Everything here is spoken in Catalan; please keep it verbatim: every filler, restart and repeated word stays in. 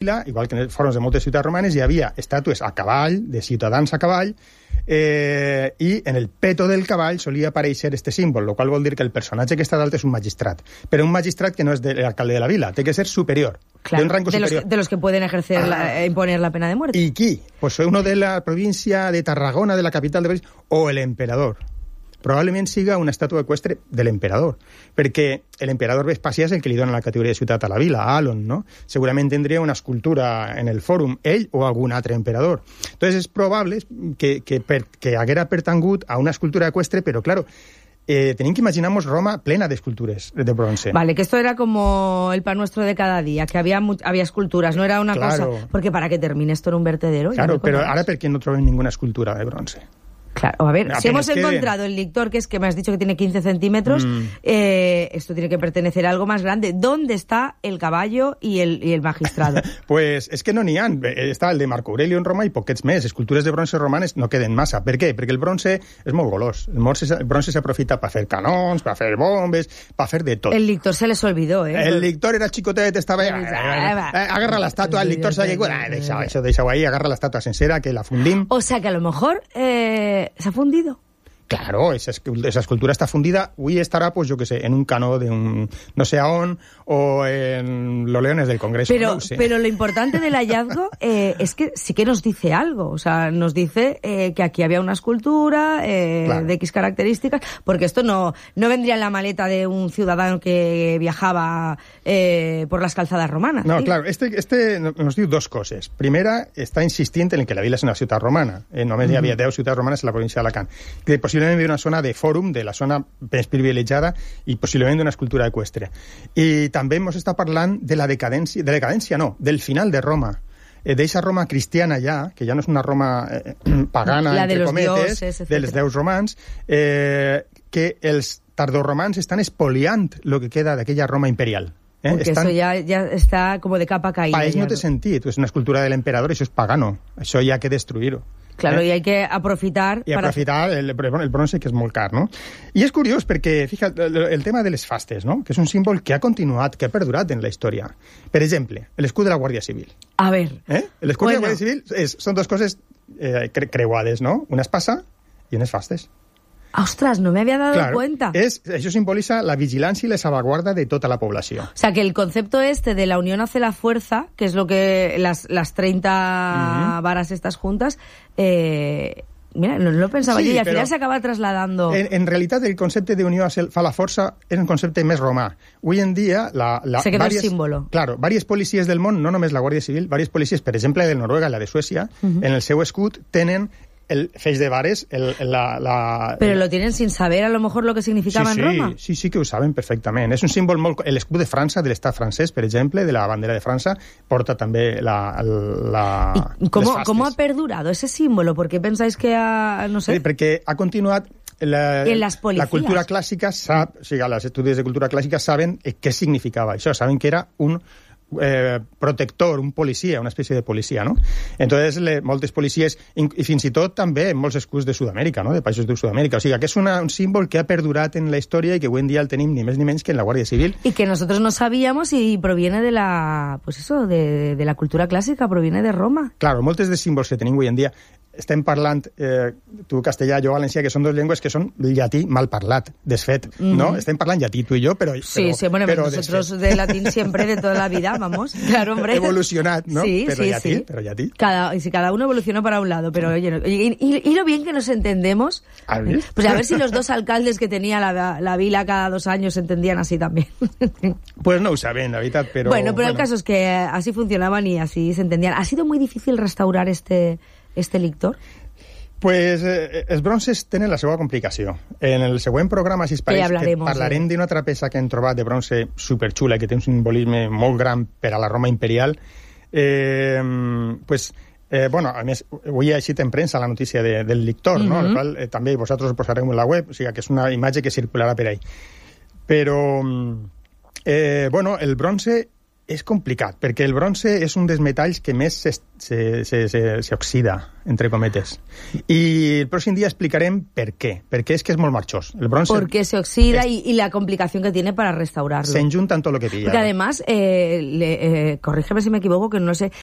igual que en els fòrums de moltes ciutats romanes, hi havia estàtues a cavall, de ciutadans a cavall, eh, i en el peto del cavall solia aparèixer este símbol, el qual vol dir que el personatge que està dalt és un magistrat, però un magistrat que no és de l'alcalde de la vila, té que ser superior, claro, de un rango de superior. Los que, de los que pueden ejercer, la, ah. imponer la pena de muerte. ¿Y qui? Pues uno de la província de Tarragona, de la capital de París, o el emperador. Probablement siga una estàtua eqüestre de l'emperador, perquè l'emperador Vespasià és el que li dona la categoria de ciutat a la vila, a Alon, no? Segurament tindria una escultura en el fòrum, ell o algun altre emperador. Entonces és probable que, que, per, que haguera pertangut a una escultura eqüestre, però, claro, Eh, tenim que imaginar-nos Roma plena de escultures de bronce. Vale, que esto era como el pan nuestro de cada día, que había, había esculturas, no era una claro. cosa... Porque para que termine esto en un vertedero... Claro, pero ahora ¿por qué no trobem ninguna escultura de bronce? Claro, a ver, Apenas si hemos queden. encontrado el lictor, que es que me has dicho que tiene quince centímetros, mm. eh, esto tiene que pertenecer a algo más grande. ¿Dónde está el caballo y el, y el magistrado? Pues és que no n'hi ha. Està el de Marco Aurelio en Roma i poquets més. Escultures de bronce romanes no queden massa. Per què? Perquè el bronce és molt golós. El bronce, el bronce s'aprofita per fer canons, per fer bombes, per fer de tot. El lictor se les olvidó, ¿eh? El lictor era chicotet, estava... Eh, eh, agarra l'estàtua, el lictor s'ha llegado... Eh, deixa, això, deixa-ho ahí, agarra l'estàtua sencera, que la fundim. O sea que a lo mejor eh, se ha fundido. Claro, esa, esa escultura está fundida, hoy estará, pues yo qué sé, en un cano de un no sé aún, o en los leones del Congreso. Pero, no sé. pero lo importante del hallazgo eh, es que sí que nos dice algo, o sea, nos dice eh, que aquí había una escultura eh, claro. de X características, porque esto no, no vendría en la maleta de un ciudadano que viajaba eh, por las calzadas romanas. No, ¿sí? claro, este, este nos diu dos coses. Primera, està insistint en que la vila és una ciutat romana. Eh, només mm. hi havia deu ciutats romanes en la província d'Alacant. Que possiblement d'una zona de fòrum, de la zona més privilegiada i possiblement d'una escultura eqüestre. I també ens està parlant de la decadència, de la decadència no, del final de Roma. Eh, d'eixa Roma cristiana ja, que ja no és una Roma eh, pagana, la de entre los cometes, dioses, dels déus romans, eh, que els tardorromans estan espoliant el que queda d'aquella Roma imperial. Eh? Porque Estan... eso ya, ya está como de capa caída. Pa ells ya, no té ¿no? sentit, és una escultura de l'emperador, això és pagano, això hi ha que destruir-ho. Claro, eh? y hay que aprofitar... I para... aprofitar el, el bronce, que és molt car, no? I és curiós perquè, fíjate, el, el tema de les fastes, no? Que és un símbol que ha continuat, que ha perdurat en la història. Per exemple, l'escut de la Guàrdia Civil. A ver... Eh? L'escut bueno. de la Guàrdia Civil és, són dues coses eh, cre creuades, no? Una espasa i unes fastes. ¡Ostras! No me había dado claro, cuenta. Es, eso simboliza la vigilancia y la salvaguarda de toda la población. O sea, que el concepto este de la unión hace la fuerza, que es lo que las, las treinta uh-huh. varas estas juntas... Eh, mira, no lo pensaba sí, yo, y al final se acaba trasladando... En, en realitat, el concepte d'unió fa la força és un concepte més romà. Avui en dia... La, la, se queda varias, el símbolo. Claro, diverses policies del món, no només la Guàrdia Civil, diverses policies, per exemple, de Noruega i la de Suècia, uh-huh. en el seu escut tenen el feix de vares, el, la, la... Pero lo tienen sin saber a lo mejor lo que significaba sí, en sí, Roma. Sí, sí que ho saben perfectament. És un símbol molt... L'escut de França, de l'estat francès, per exemple, de la bandera de França, porta també la... la ¿Y cómo, cómo ha perdurado ese símbolo? ¿Por qué pensáis que ha... no sé? Sí, perquè ha continuat... La, en las policías. La cultura clàssica sap, o sigui, els estudis de cultura clàssica saben què significava això, saben que era un eh, protector, un policia, una espècie de policia, no? Entonces, le, moltes policies, i fins i tot també molts escuts de Sud-amèrica, no? De països de Sud-amèrica. O sigui, que és una, un símbol que ha perdurat en la història i que avui en dia el tenim ni més ni menys que en la Guàrdia Civil. Y que nosotros no sabíamos y proviene de la, pues eso, de, de la cultura clàssica, proviene de Roma. Claro, moltes de símbols que tenim avui en dia estem parlant, eh, tu castellà, jo valencià, que són dues llengües que són llatí mal parlat, desfet, mm-hmm. ¿no? Estem parlant llatí, tu i jo, però... Sí, però, sí, bueno, però nosotros desfet. de latín siempre, de toda la vida, vamos. Claro, hombre. Evolucionat, ¿no? Sí, pero sí, llatí, sí. Pero llatí. Cada, y si cada uno evolucionó para un lado, pero oye, no, y, y, y lo bien que nos entendemos. ¿Has visto? Pues a ver si los dos alcaldes que tenía la, la vila cada dos años se entendían así también. Pues no ho saben, la veritat, però... Bueno, pero bueno. el caso es que así funcionaban y así se entendían. ¿Ha sido muy difícil restaurar este, este lictor? Pues eh, els bronces tenen la seva complicació. En el següent programa, si es pareix, que parlarem d'una altra peça que hem trobat de bronze superxula, que té un simbolisme molt gran per a la Roma imperial. Eh, pues, eh, bueno, a més, avui ha eixit en premsa la notícia de, del lictor, mm-hmm. no? El qual eh, també vosaltres ho posareu en la web, o sigui que és una imatge que circularà per ahí. Però, eh, bueno, el bronze És complicat, perquè el bronze és un dels metalls que més s'oxida, entre cometes. Y el próximo día explicarem per què. Perquè és que és molt marchós. El bronce... Porque se oxida es... y, y la complicación que tiene para restaurarlo. Se enjuntan todo lo que pilla. Porque además, eh, le, eh, corrígeme si me equivoco, que no sé,